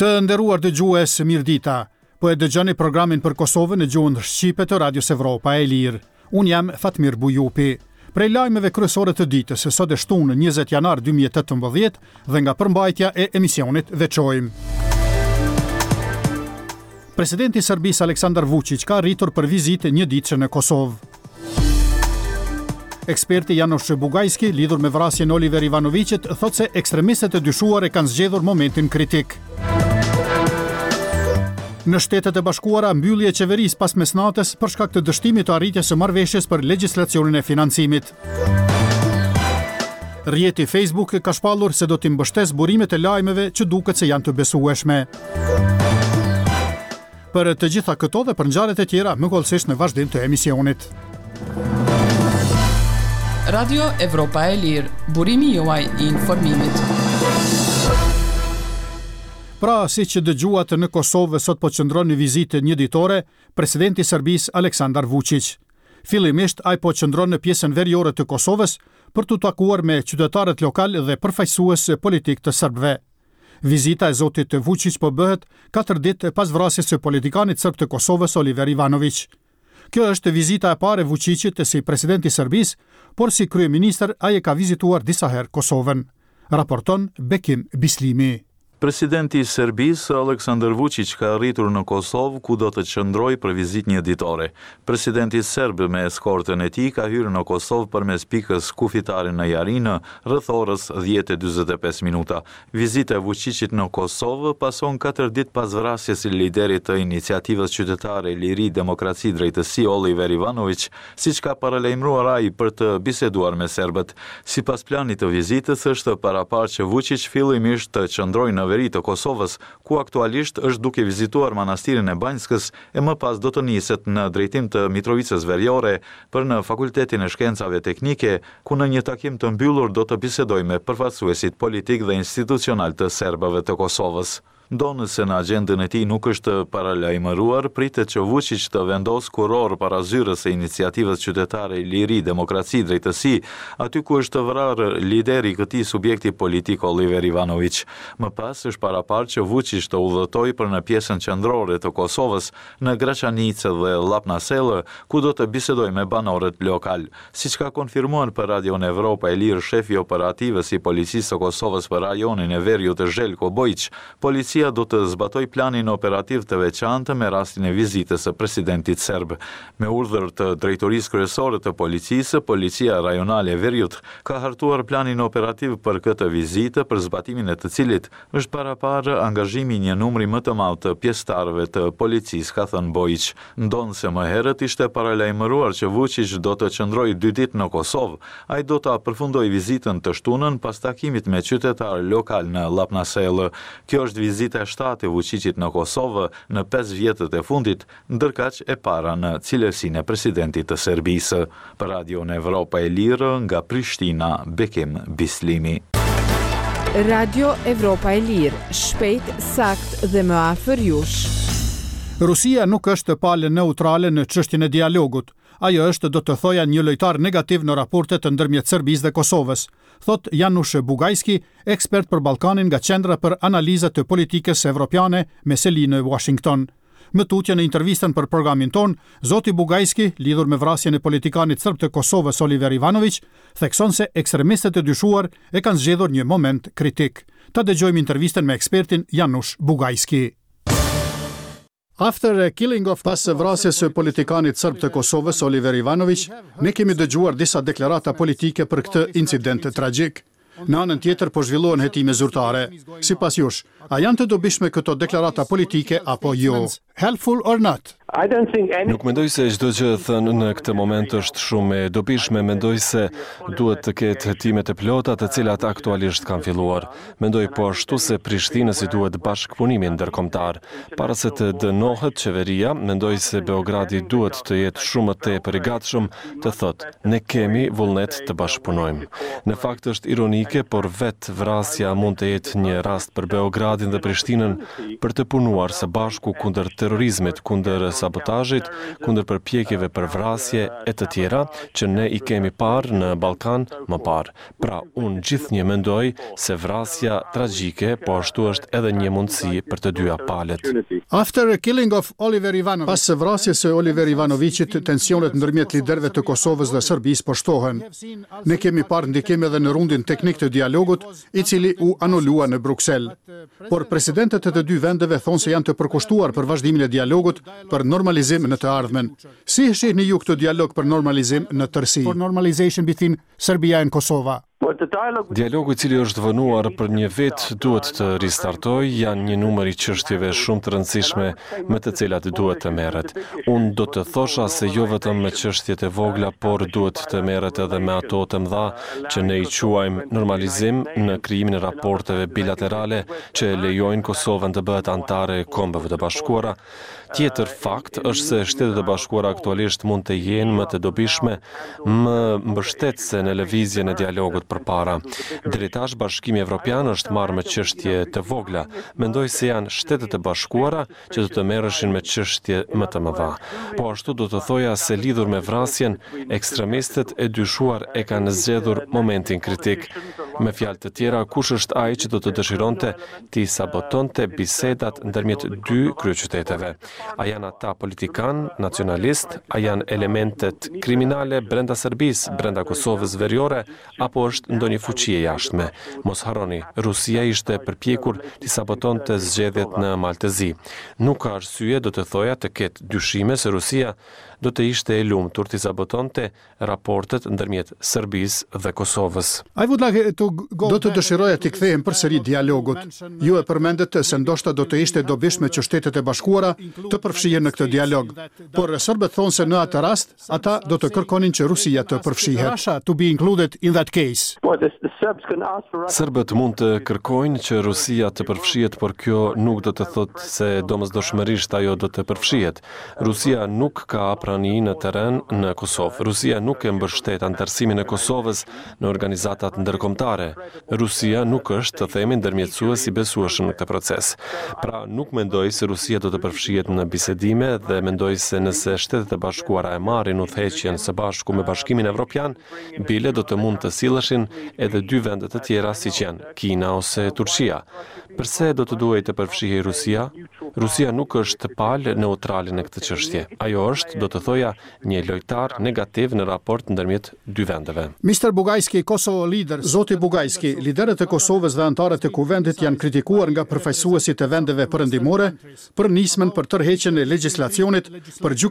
Të nderuar dëgjues, mirëdita. Po e dëgjoni programin për Kosovën në gjuhën shqipe të Radios Evropa e Lirë. Unë jam Fatmir Bujupi. Prej lajmeve kryesore të ditës, sot e shtunë 20 janar 2018 dhe nga përmbajtja e emisionit veçojmë. Presidenti i Serbisë Aleksandar Vuçiq ka arritur për vizitë njëditëshe në Kosovë. Eksperti Janusz Bugajski lidhur me vrasjen e Oliver Ivanoviqit thotë se ekstremistët e dyshuar e kanë zgjedhur momentin kritik. Në Shtetet e Bashkuara, mbyllje e qeverisë pas mesnatës për shkak të dështimit të arritjes së marrëveshjes për legjislacionin e financimit. Rrjeti Facebook ka shpallur se do t'i mbështesë burimet e lajmeve që duket se janë të besueshme. Për të gjitha këto dhe për ngjarjet e tjera, më hollësisht në vazhdim të emisionit. Radio Evropa e Lirë, burimi juaj i informimit. Pra, siç dëgjuat në Kosovë sot po qëndron në vizitë njëditore presidenti i Serbisë Aleksandar Vuçiq. Fillimisht ai po qëndron në pjesën veriore të Kosovës për t'u takuar me qytetarët lokalë dhe përfaqësues politikë të serbëve. Vizita e zotit Vuçiq po bëhet katër ditë pas vrasjes së politikanit serb të Kosovës Oliver Ivanoviq. Kjo është vizita e parë e Vuçiqit si president i Serbisë, por si kryeministër ai e ka vizituar disa herë Kosovën, raporton Bekim Bislimi. Presidenti i Serbisë, Aleksandar Vuçiq ka arritur në Kosovë, ku do të qëndrojë për vizitë njëditore. Presidenti serb me eskortën e tij ka hyrë në Kosovë përmes pikës kufitare në Jarinë, rreth orës 10:45 minuta. Vizita e Vuçiqit në Kosovë pason katër ditë pas vrasjes së liderit të iniciativës qytetare Liri, Demokraci, Drejtësi, Oliver Ivanoviq, siç ka paralajmëruar ai për të biseduar me serbët. Sipas planit të vizitës, është paraparë që Vuçiq fillimisht të qëndrojë në veri të Kosovës, ku aktualisht është duke vizituar Manastirin e Banjskës e më pas do të niset në drejtim të Mitrovicës Veriore për në Fakultetin e Shkencave Teknike, ku në një takim të mbyllur do të bisedojë me përfaqësuesit politikë dhe institucionalë të serbëve të Kosovës. Ndonëse në agjendën e tij nuk është paralajmëruar, pritet që Vuçiq të vendosë kurorë para zyrës së iniciativës qytetare Liri, Demokraci, Drejtësi, aty ku është vrarë lideri i këtij subjekti politik Oliver Ivanoviq. Më pas është paraparë që Vuçiq të udhëtojë për në pjesën qendrore të Kosovës, në Graçanicë dhe Llapnasellë, ku do të bisedojë me banorët lokalë. Siç ka konfirmuar për Radion Evropa e Lirë shefi i operativës i Policisë së Kosovës për rajonin e veriut Zhelko Bojiq, policia do të zbatojë planin operativ të veçantë me rastin e vizitës së presidentit serb. Me urdhër të Drejtorisë Kryesore të Policisë, Policia Rajonale e Veriut ka hartuar planin operativ për këtë vizitë, për zbatimin e të cilit Është paraparë angazhimi i një numri më të madh të pjesëtarëve të policisë, ka thënë Bojiq. Ndonëse më herët ishte paralajmëruar që Vuçiq do të qëndrojë dy ditë në Kosovë, ai do ta përfundojë vizitën të shtunën pas takimit me qytetarë lokalë në Llapnasellë. Kjo është vizita e shtatë e Vuçiqit në Kosovë në pesë vjetët e fundit, ndërkaq e para në cilësinë e presidentit të Serbisë. Për Radion Evropa e Lirë, nga Prishtina, Bekim Bislimi. Radio Evropa e Lirë, shpejt, saktë dhe më afër jush. Rusia nuk është palë neutrale në çështjen e dialogut. Ajo është, do të thoja, një lojtar negativ në raportet ndërmjet Serbisë dhe Kosovës, thotë Janusz Bugajski, ekspert për Ballkanin nga Qendra për Analiza të Politikës Evropiane me seli në Uashington. Më tutje në intervistën për programin tonë, zoti Bugajski, lidhur me vrasjen e politikanit serb të Kosovës Oliver Ivanoviq, thekson se ekstremistët e dyshuar e kanë zgjedhur një moment kritik. Ta dëgjojmë intervistën me ekspertin Janusz Bugajski. After a killing of Pas vrasjes së politikanit serb të Kosovës Oliver Ivanoviq, ne kemi dëgjuar disa deklarata politike për këtë incident tragjik. Në anën tjetër po zhvillohen hetime zyrtare. Sipas jush, a janë të dobishme këto deklarata politike apo jo? Helpful or not? Nuk mendoj se çdo gjë e thënë në këtë moment është shumë e dobishme. Mendoj se duhet të ketë hetime të plota të cilat aktualisht kanë filluar. Mendoj po ashtu se Prishtinës i duhet bashkëpunimi ndërkombëtar. Para se të dënohet qeveria, mendoj se Beogradi duhet të jetë shumë më tepër i gatshëm të thotë, ne kemi vullnet të bashkëpunojmë. Në fakt është ironike, por vetë vrasja mund të jetë një rast për Beogradin dhe Prishtinën për të punuar së bashku kundër terrorizmit, kundër sabotazhit, kundër përpjekjeve për vrasje e të tjera që ne i kemi parë në Ballkan më parë. Pra, unë gjithnjë mendoj se vrasja tragjike po ashtu është edhe një mundësi për të dyja palët. After killing of Oliver Ivanovic. Pas vrasjes së Oliver Ivanoviqit, tensionet ndërmjet liderëve të Kosovës dhe Serbisë po shtohen. Ne kemi parë ndikim edhe në rundin teknik të dialogut, i cili u anulua në Bruksel. Por presidentët e të dy vendeve thonë se janë të përkushtuar për vazhdimin e dialogut për normalizim në të ardhmen. Si e shihni ju këtë dialog për normalizim në tërësi? For normalization between Serbia and Kosova. Dialogu i cili është vonuar për një vit duhet të ristartojë, janë një numër i çështjeve shumë të rëndësishme me të cilat duhet të merret. Unë do të thosha se jo vetëm me çështjet e vogla, por duhet të merret edhe me ato të mëdha që ne i quajmë normalizim në krijimin e raporteve bilaterale që e lejojnë Kosovën të bëhet anëtare e Kombeve të Bashkuara, Tjetër fakt është se Shtetet e Bashkuara aktualisht mund të jenë më të dobishme, më mbështetëse në lëvizjen e dialogut përpara. Deri tash Bashkimi Evropian është marrë me çështje të vogla. Mendoj se janë Shtetet e Bashkuara që do të merreshin me çështje më të mëdha. Po ashtu do të thoja se lidhur me vrasjen, ekstremistët e dyshuar e kanë zgjedhur momentin kritik. Me fjalë të tjera, kush është ai që do të dëshironte t'i sabotonte bisedat ndërmjet dy kryeqyteteve. A janë ata politikanë, nacionalistë, a janë elementet kriminale brenda Serbisë, brenda Kosovës veriore, apo është ndonjë fuqi e jashtme? Mos harroni, Rusia ishte përpjekur t'i sabotonte zgjedhjet në Mal të Zi. Nuk ka arsye, do të thoja, të ketë dyshime se Rusia do të ishte e lumtur t'i sabotonte raportet ndërmjet Serbisë dhe Kosovës. I would like to go Do të dëshiroja t'i kthehem përsëri dialogut. Ju e përmendët se ndoshta do të ishte e dobishme që Shtetet e Bashkuara të përfshihen në këtë dialog. Por serbët thonë se në atë rast, ata do të kërkonin që Rusia të përfshihet. Russia to be included in that case. Serbët mund të kërkojnë që Rusia të përfshihet, por kjo nuk do të thotë se domosdoshmërisht ajo do të përfshihet. Rusia nuk ka prani në terren në Kosovë. Rusia nuk e mbështet anëtarësimin e Kosovës në organizatat ndërkombëtare. Rusia nuk është, të themi, ndërmjetësues i besueshëm në këtë proces. Pra, nuk mendoj se Rusia do të përfshihet në bisedime dhe mendoj se nëse Shtetet e Bashkuara e marrin udhëheqjen së bashku me Bashkimin Evropian, bile do të mund të silleshin edhe dy vende të tjera siç janë Kina ose Turqia. Përse do të duhej të përfshihej Rusia? Rusia nuk është palë neutrale në këtë çështje. Ajo është, do të thoja, një lojtar negativ në raport ndërmjet dy vendeve. Mister Bugajski, Kosovo leaders. Zoti Bugajski, liderët e Kosovës dhe anëtarët e Kuvendit janë kritikuar nga përfaqësuesit e vendeve perëndimore për nismën për tërheqjen e legjislacionit për gjykatën.